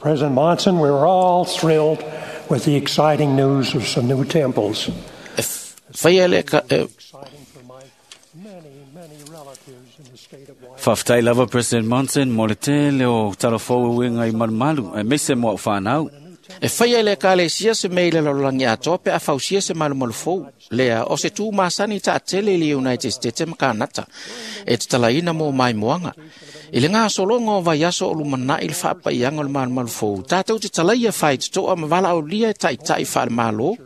President Monson, we were all thrilled with the exciting news of some new temples. Faia le ka, Exciting for my many, many relatives in the state of Washington. Faafetai lava President Monson mo le tele o talafou e uiga i malumalu aemaise mo a'u fanau. E faia le ekalesia se mea i le lalolagi atoa pe a fausia se malumalu fou. Lea, o se tū masani taatele i le United States ma Kanata, e tatalaina mo maimoaga. I le gasologa o vaiaso o lumanaʻi le faapaiaga o le malumalu fou, tatou te talaia faitotoa ma valaaulia e taʻitaʻi faale-Malo,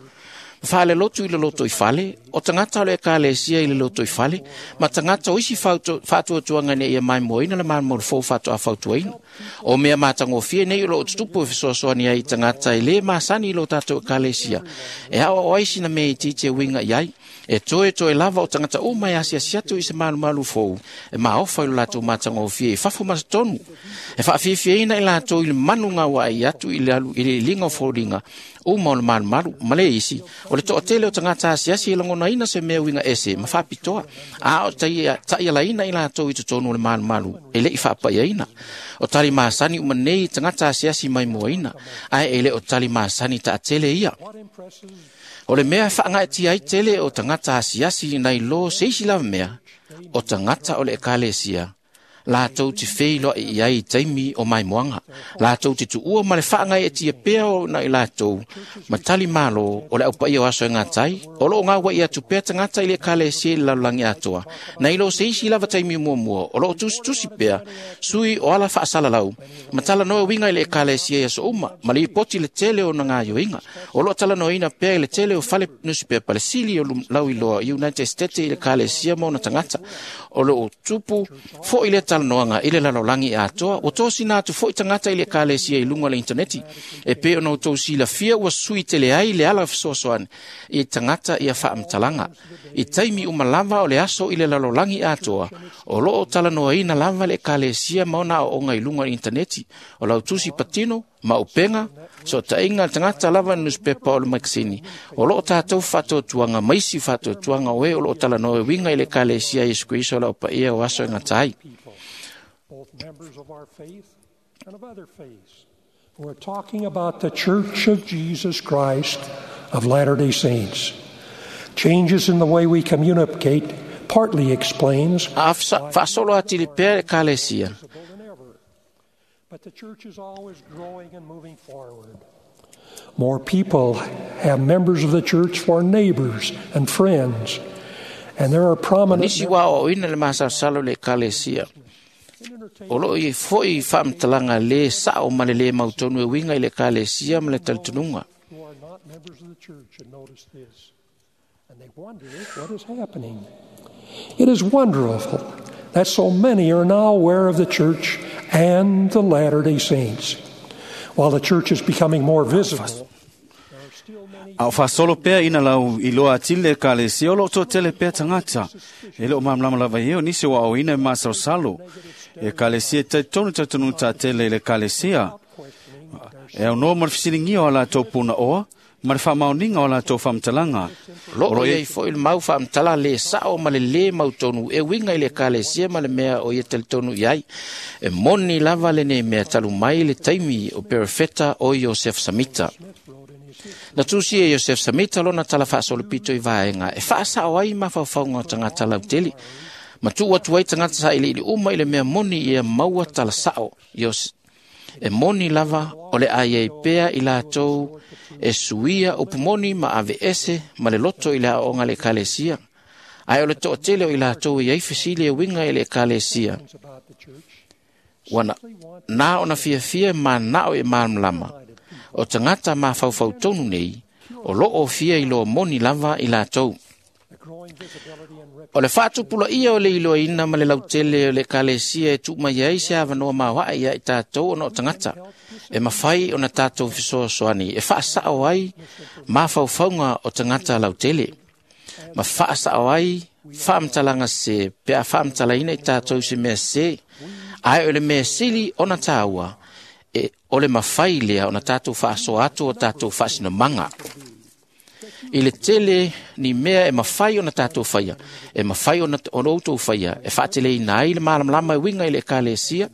ma faalelotu i le loto i fale, o tagata o le ekalesia i le loto i fale, ma tagata o isi faatuatuaga ina ia maimoaina le malumalu fou faatoa fautuaina. O mea matagofie nei o loo tutupu e fesoasoani ai i tagata e lē masani i lo tatou ekalesia, e aoao ai sina mea itiiti e uiga i ai. E toe lava o tagata uma e asiasi atu i se malumalu fou, e maofa i lo latou matagofie i fafo ma totonu. E faafiafiaina i latou i le manu gauaai atu i le alu i le iliga o foliga uma o le malumalu. Ma le isi, o le toatele o tagata asiasi e lagonaina se mea uiga ese ma faapitoa, a o taʻialaina i latou i totonu o le malumalu e leʻi faapaiaina. O tali masani uma nei i tagata asiasi maimoaina, ae e le o tali masani taatele ia. O le mea e faagaetia ai tele o tagata asiasi nai lo se isi lava mea, o tagata o le ekalesia, latou te feiloai i ai i taimi o maimoaga. Latou te tuua ma le faagaeetia pea o na i latou, ma tali malo o le aupaia o aso e gatai, o loo gauai atu pea tagata i le ekalesia i le lalolagi atoa. Nai lo se isi lava taimi muamua, o loo tusitusi pea, sui o ala faasalalau, ma talanoa uiga i le ekalesia i aso uma, ma lipoti le tele o na gaioiga. O loo talanoaina pea i le tele o fale nusipepa le sili o lauiloa United States i le ekalesia ma ona tagata. O loo tupu foi le talanoaga i le lalolagi atoa, ua tosina atu foi tagata i le ekalesia i luga o le interneti. E pei ona outou silafia ua sui tele ai le ala fesoasoani i tagata ia faamatalaga. I taimi uma lava o le aso i le lalolagi atoa, o loo talanoaina lava le ekalesia ma ona aooga i luga o le interneti. O lau tusi patino, ma upega, sootaiga le tagata lava i newspaper o le makasini. O loo tatou faatuatuaga ma isi faatuatuaga o e o loo talanoa e uiga i le ekalesia Iesu Keriso o le aupaia o aso e gata ai. Both members of our faith and of other faiths, who are talking about the Church of Jesus Christ of Latter-day Saints. Changes in the way we communicate partly explains A faasolo atili pea le ekalesia. visible than ever. But the church is always growing and moving forward. More people have members of the church for neighbors and friends, and there are prominent Nisi ua aoaoina le masalosalo le ekalesia. O loo i foi faamatalaga lē sao ma le lē mautonu e uiga i le ekalesia ma le talitonuga. who are not members of the church and notice this, and they wonder what is happening. It is wonderful that so many are now aware of the church and the Latter-day Saints. While the church is becoming more visible, A o faasolo pea ina lau iloa atili le ekalesia, o loo toatele pea tagata. E le o malamalama lava ia o nisi o aoaoina e masalosalo. E ekalesia e talitonu talitonuga taatele i le ekalesia. E aunoa ma le fesiligia o a latou punaoa, ma le faamaoniga o a latou faamatalaga. Loo iai foi le mau faamatala lē sao ma le lē mautonu e uiga i le ekalesia ma le mea o ia talitonu i ai. E moni lava lenei mea talu mai le taimi o perofeta o Iosef Samita. Na tusi e Iosef Samita lona tala faasolopito i vaega e faasao ai mafaufauga o tagata lautele. Ma tuu atu ai tagata sailiili uma i le mea moni ia maua tala sao. E moni lava o le ai ai pea i latou e suia upu moni ma ave ese ma le loto i le aoaoga le ekalesia. Ae o le toatele o i latou e ai fesili e uiga i le ekalesia. Ua na ona fiafia manao e malamalama. O tagata mafaufau tonu nei, o loo fia iloa moni lava i latou. O le faatupulaia o le iloaina ma le lautele o le ekalesia e tuu mai ai se avanoa maoae ia i tatou ona o tagata. E mafai ona tatou fesoasoani e faasao ai mafaufauga o tagata lautele. Ma faasao ai faamatalaga se pe a faamatalaina i tatou se mea se. Ae o le mea sili ona tāua, e o le mafai lea ona tatou faasoa atu o tatou faasinomaga. I le tele ni mea e mafai ona tātou whaia, e mafai ona outou whaia, e whaateleina ai le malamalama e winga i le ekalesia,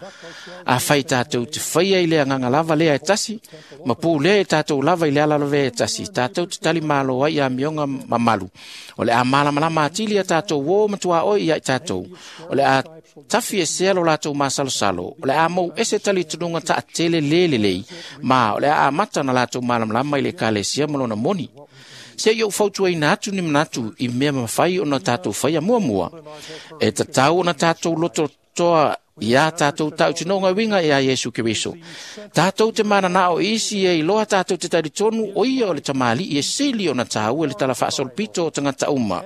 a whai tātou te whaia i le anganga lava lea e tasi, ma pū lea e tātou lava i le ala lava e tasi, tātou te tali malo ai a mionga mamalu. O le a malamalama atili a tātou o matua oi ia i tātou. O le a tafi e sea lo lātou masalosalo, o le a mou ese tali tununga ta tele lele lei, ma o le a amata na lātou malamalama i le ekalesia ma lona moni. Se i o fautua ina atu ni manatu i mea mawhai o na tātou whaia mua mua. E tatau o na tātou loto toa ia tātou tautinonga winga ia Iesu Keriso. Tātou te mana nā o isi e iloa tātou te taritonu o ia o le tamali i e sili o na tāu e le tala whaasolopito o tangata uma.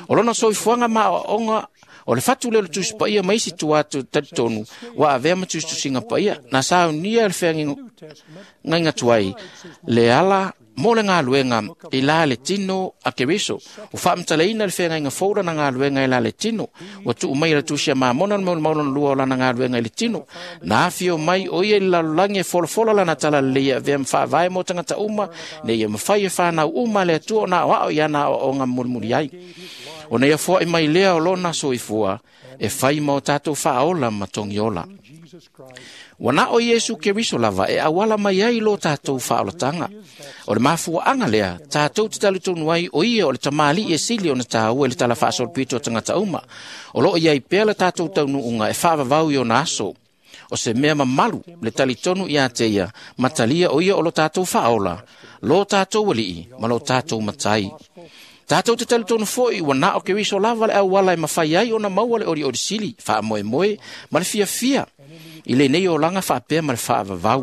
O lona soifuanga ma o onga o le fatu leo le tusi paia maisi tua atu taritonu wa avea ma tusi tusinga paia na saunia le whea ngainga tuai le ala mo le ngā i la le tino a Keriso. O whaamtaleina le whenga inga fōra na ngā i la le tino. O tuu mai la tusia mamona mo maulona lua o lana ngā i le tino. Nā whio mai o ia i lalulangi e folofola lana tala leia vea mwhaavae mo tangata uma, ne ia mwhai e whanau uma le atua o nā o ao i ana o ngā murimuri ai. O nei afua i mai lea o lona soifua, e whai ma o tātou whaola ma tongiola. Wana o Iesu Keriso lava e awala mai ai lo tātou whaolatanga. O le mafua anga lea, tātou te talitonu ai o ia o le tamali e sili o na tāu e le tala whaasolopito o tangata uma. O lo ia i pea le tātou taunuunga e whaavavau i o na aso. O se mea mamalu le talitonu ia te ia, matalia o ia o lo tātou whaola, lo tātou walii, ma lo tātou matai. Tātou te talitonu foi, ua nā o Keriso lava le awala e mawhai ai o na maua le ori ori sili, wha moe moe, ma le fia fia. I le nei o langa whaapea ma le whaavavau.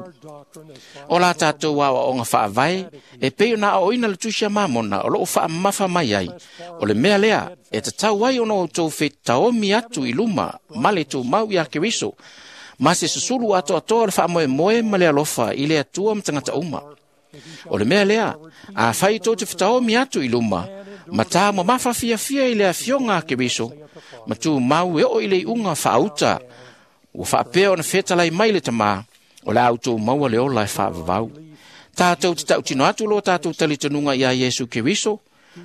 O la tātou wā o ngā whaavae, e peo nā o ina le tusia mamona o loo whaamafa mai ai. O le mea lea, e tatau ai ono o tō whe taomi atu i luma, ma le tō mau i a Keriso. Ma se susulu ato atoa le whaamoe moe ma le alofa i le atua matangata uma. O le mea lea, a whai tō te whataomi atu i luma, ma tā mo mawha fia fia i le afionga a Keriso, ma tū mau e o i le unga whaauta, ua whaapea o na whetalai mai le tamā, o le au tō maua le ola e whaavavau. Tātou te tautino atu lo tātou talitanunga i a Iesu Keriso,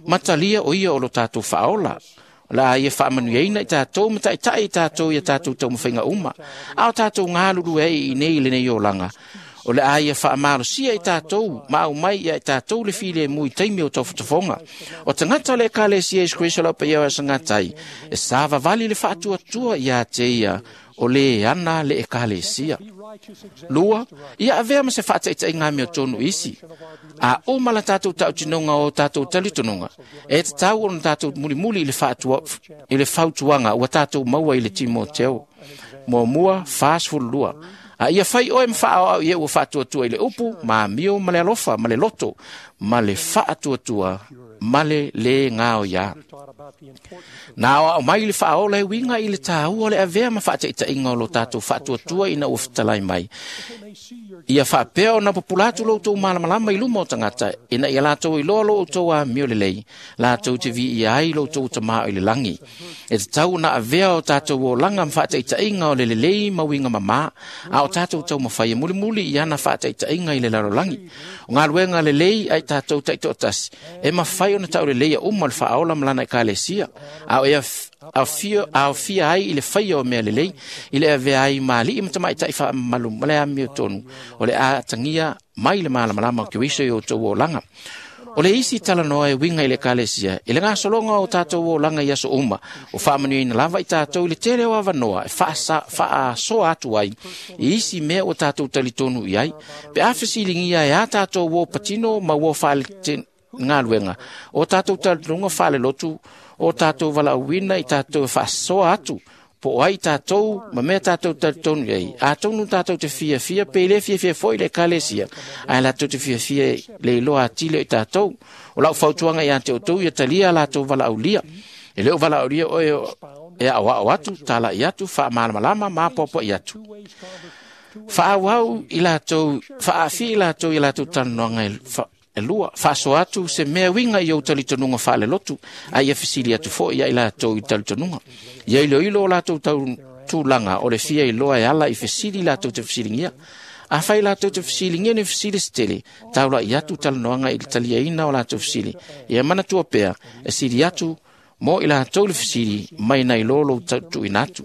matalia o ia o lo tātou whaola. O la ia whaamanuiaina i tātou, mataitai i tātou i a tātou taumawhainga uma. A o tātou ngāluru e i nei le nei olanga. O le aia whaamalosia i tātou, ma au mai ia i tātou le file e mui taimi o tauwhatafonga. O tangata le ekalesia Iesu Keriso lau paia o asangatai, e sāvavali le whaatuatua i a te ia, o le ana le ekalesia. Lua, ia avea ma se whaataitai ngā mea tonu isi. A o mala tātou tautinonga o tātou talitononga, e te tau o tātou mulimuli i le fautuanga ua tātou maua i le Timoteo. Mua mua, 42. A ia whai oe mwhaa au ia ua whaatuatua i le upu, ma mio ma le alofa, ma le loto, ma le whaatuatua, ma le le ngāo ia. Nā o mai le whaola e winga i le tāua le avea ma whaataitainga o lo tātou whaatuatua ina ua whitalai mai. Ia whaapea o na populatu lo tō malamalama i luma o tangata, ina ia lātou i loa lo tō a mio le lei, lātou te vi ia ai lo tō tamā i le langi. E te tau na avea o tātou o langa mwhaataitainga o le lelei mawinga mamā, a o tātou tau mawhai e mulimuli i ana whaataitainga i le lalolangi. O ngā luenga le lei ai tātou taitoatasi, e mawhai o na tau le lei a uma le whaola malana i kalesia, a o ea a fia ai i le whaia o mea lelei, i le avea ai maali i matamaitai whaamalu ma le amio tonu, o le a tangia mai le malamalama o Keriso i o tau o langa. O le isi talanoa e winga i le kalesia, i le ngāsolonga o tātou o langa i aso uma, o whaamanuina lava i tātou i le tele o avanoa, e whaasoa atu ai, i isi mea o tātou talitonu i ai, pe awhisilingia e a tātou o patino ma o whaale ngā luenga, o tātou talitonunga whaale lotu, o tātou walauina i tātou e whaasoa atu, po ai tātou, ma mea tātou talitonu ai. A tonu tātou te fia fia, pe le fia fia foi le kalesia. Ai lātou te fia fia le iloa atile i tātou. O lau fautuanga i ante o tau ia talia lātou walaulia. E leo walaulia o e au au atu, tāla i atu, wha malamalama, ma popo i atu. Whaawau i lātou, whaafi i lātou i lātou tanoanga e lua, whaaso atu se mea winga i au talitonunga whaale lotu, a ia fisili atu fo ia i lātou i talitonunga. Ia ilo ilo o lātou tau tūlanga o le fia i loa e ala i fisili lātou te fisilingia. Afai latou te fesiligia ni fesili se tele, taula'i atu talanoaga i le taliaina o latou fesili. Ia manatua pea, e sili atu mo i latou le fesili mai nai lo lou tuuina atu.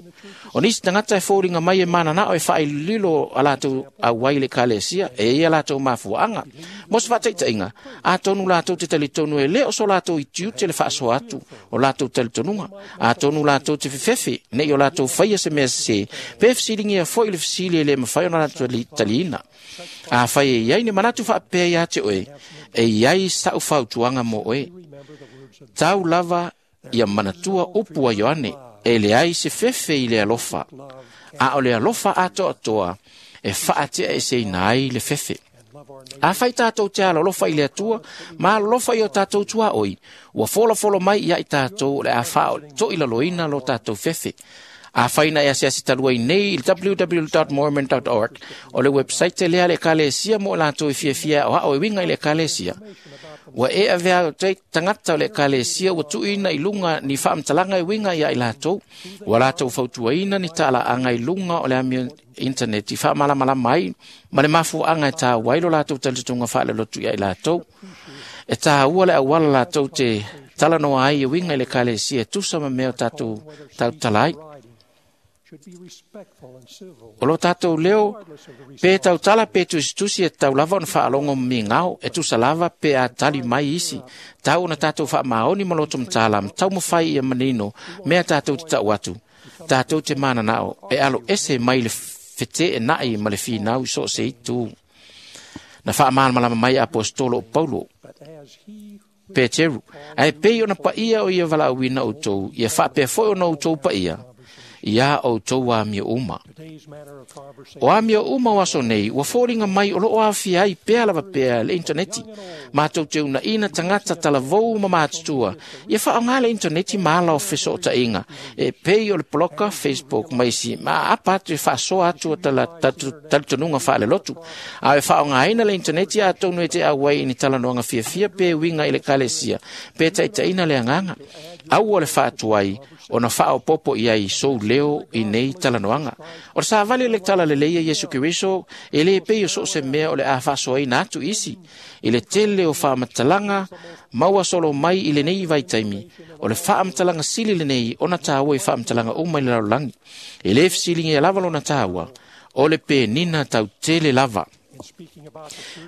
O nisi tagata e foliga mai e mananao e faaililo a latou auai i le ekalesia, e ia latou mafuaaga. Mo se faataitaiga, atonu latou te talitonu e le o so latou itiute le faasoa atu o latou talitonuga. Atonu latou te fefefe nei o latou faia se mea sesē, pe fesiligia foi le fesili e le mafai ona latou taliina. Afai e iai ni manatu faapea ia te oe, e iai sa'u fautuaga mo oe. Tau lava ia manatua upu a Ioane, e leai se fefe i le alofa, a o le alofa atoatoa e faateaeseina ai le fefe. Afai tatou te alolofa i le Atua ma alolofa i o tatou tuaoi, ua folafolo mai ia i tatou o le a faaotoilaloina lo tatou fefe. Afai na e asiasi talu ai nei i le www.mormon.org, o le website lea le ekalesia mo latou e fiafia aoao e uiga i le ekalesia. Ua e avea te tagata o le ekalesia ua tuuina i luga ni faamatalaga e uiga ia i latou. Ua latou fautuaina ni talaaga i luga o le amio internet i faamalamalama ai ma le mafuaaga e taua ai lo latou talitonuga faalelotu ia i latou. E taua le auala latou te talanoa ai e uiga i le ekalesia e tusa ma mea o tatou tautala ai. O lo tatou leo pe tautala pe tusitusi e tau lava ona faalogo migao e tusa lava pe a tali mai isi. Tau ona tatou faamaoni ma loto matala ma taumafai ia manino mea tatou te tau atu. Tatou te mananao e alo ese mai le feteenai ma le finau i so o se itu. Na faamalamalama mai apostolo o Paulo Peteru, ae pei ona paia o ia valaauina outou, ia faapea foi ona outou paia, ia outou amio uma. O amio uma o aso nei, ua foliga mai o loo aafia ai pea lava pea le intaneti. Matou te unaina tagata talavou ma matutua, ia faaaogā le intaneti ma ala o fesootaiga, e pei o le poloka, Facebook ma isi, ma apa atu e faasoa atu o talitonuga faalelotu. A e faaaogāina le intaneti atonu e te auai i ni talanoaga fiafia pe uiga i le ekalesia, pe taitaiina le agaga. Aua le faatuai ona faaopopo i ai sou leo i nei talanoaga. O le savali le tala lelei a Iesu Keriso, e le pei o so o se mea o le a faasoaina atu isi. I le tele o faamatalaga maua solo mai i lenei vaitaimi, o le faamatalaga sili lenei ona taua i faamatalaga uma i le lalolagi. E le fesiligia lava lona taua, o le penina tautele lava.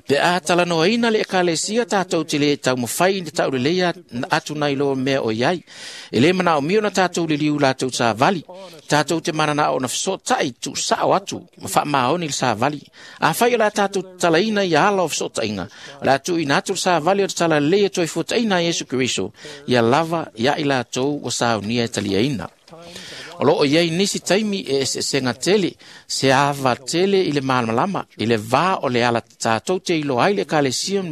Pe a talanoaina le ekalesia tatou te le taumafai i le tauleleia atu nai lo mea o iai. E le manaomia ona tatou liliu latou savali. Tatou te mananao ona fesootai tuusao atu ma faamaoni le savali. Afai o le a tatou talaina ia ala o fesootaiga, o le a tuuina atu le savali o le talalelei e toe fuataina a Iesu Keriso, ia lava ia i latou ua saunia e taliaina. O loo iai nisi taimi e eseesega tele, se ava tele i le malamalama, i le vā o le ala tatou te iloa ai le ekalesia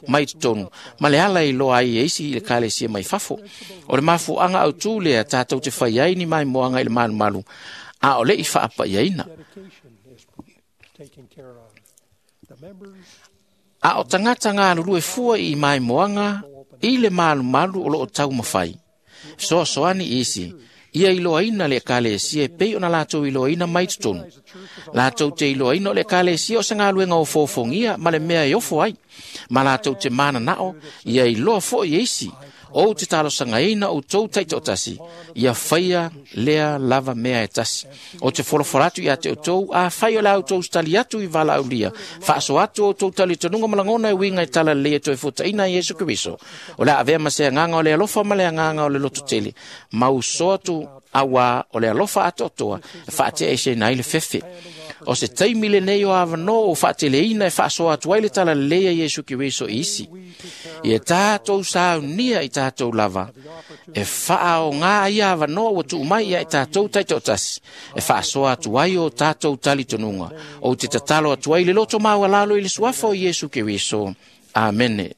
mai totonu, ma le ala e iloa ai e isi i le ekalesia mai fafo. O le mafuaaga autū lea tatou te fai ai ni maimoaga i le malumalu, a o le i faapaiaina. A o tagata galulue fua i maimoaga i le malumalu o loo taumafai. Fesoasoani isi, ia iloaina le ekalesia e pei ona latou iloaina mai totonu. Latou te iloaina o le ekalesia o se galuega ofoofogia ma le mea e ofo ai, ma latou te mananao ia iloa foi e isi. Ou te talosagaina outou taitoatasi, ia faia lea lava mea e tasi. O te folafola atu ia te outou, afai o le a outou tali atu i valaaulia, faasoa atu outou talitonuga ma lagona e uiga i tala lelei e toe fuataina a Iesu Keriso. O le a avea ma se agaga o le alofa ma le agaga o le lototele, ma uso atu auā o le alofa atoatoa e faateaeseina ai le fefe. O se taimi lenei o avanoa o faateleina e faasoa atu ai le tala lelei a Iesu Keriso i isi. Ia tatou saunia i tatou lava, e faaogā ia avanoa ua tuu mai ia i tatou taitoatasi, e faasoa atu ai o tatou talitonuga. Ou te tatalo atu ai le loto maualalo i le suafa o Iesu Keriso. Amene.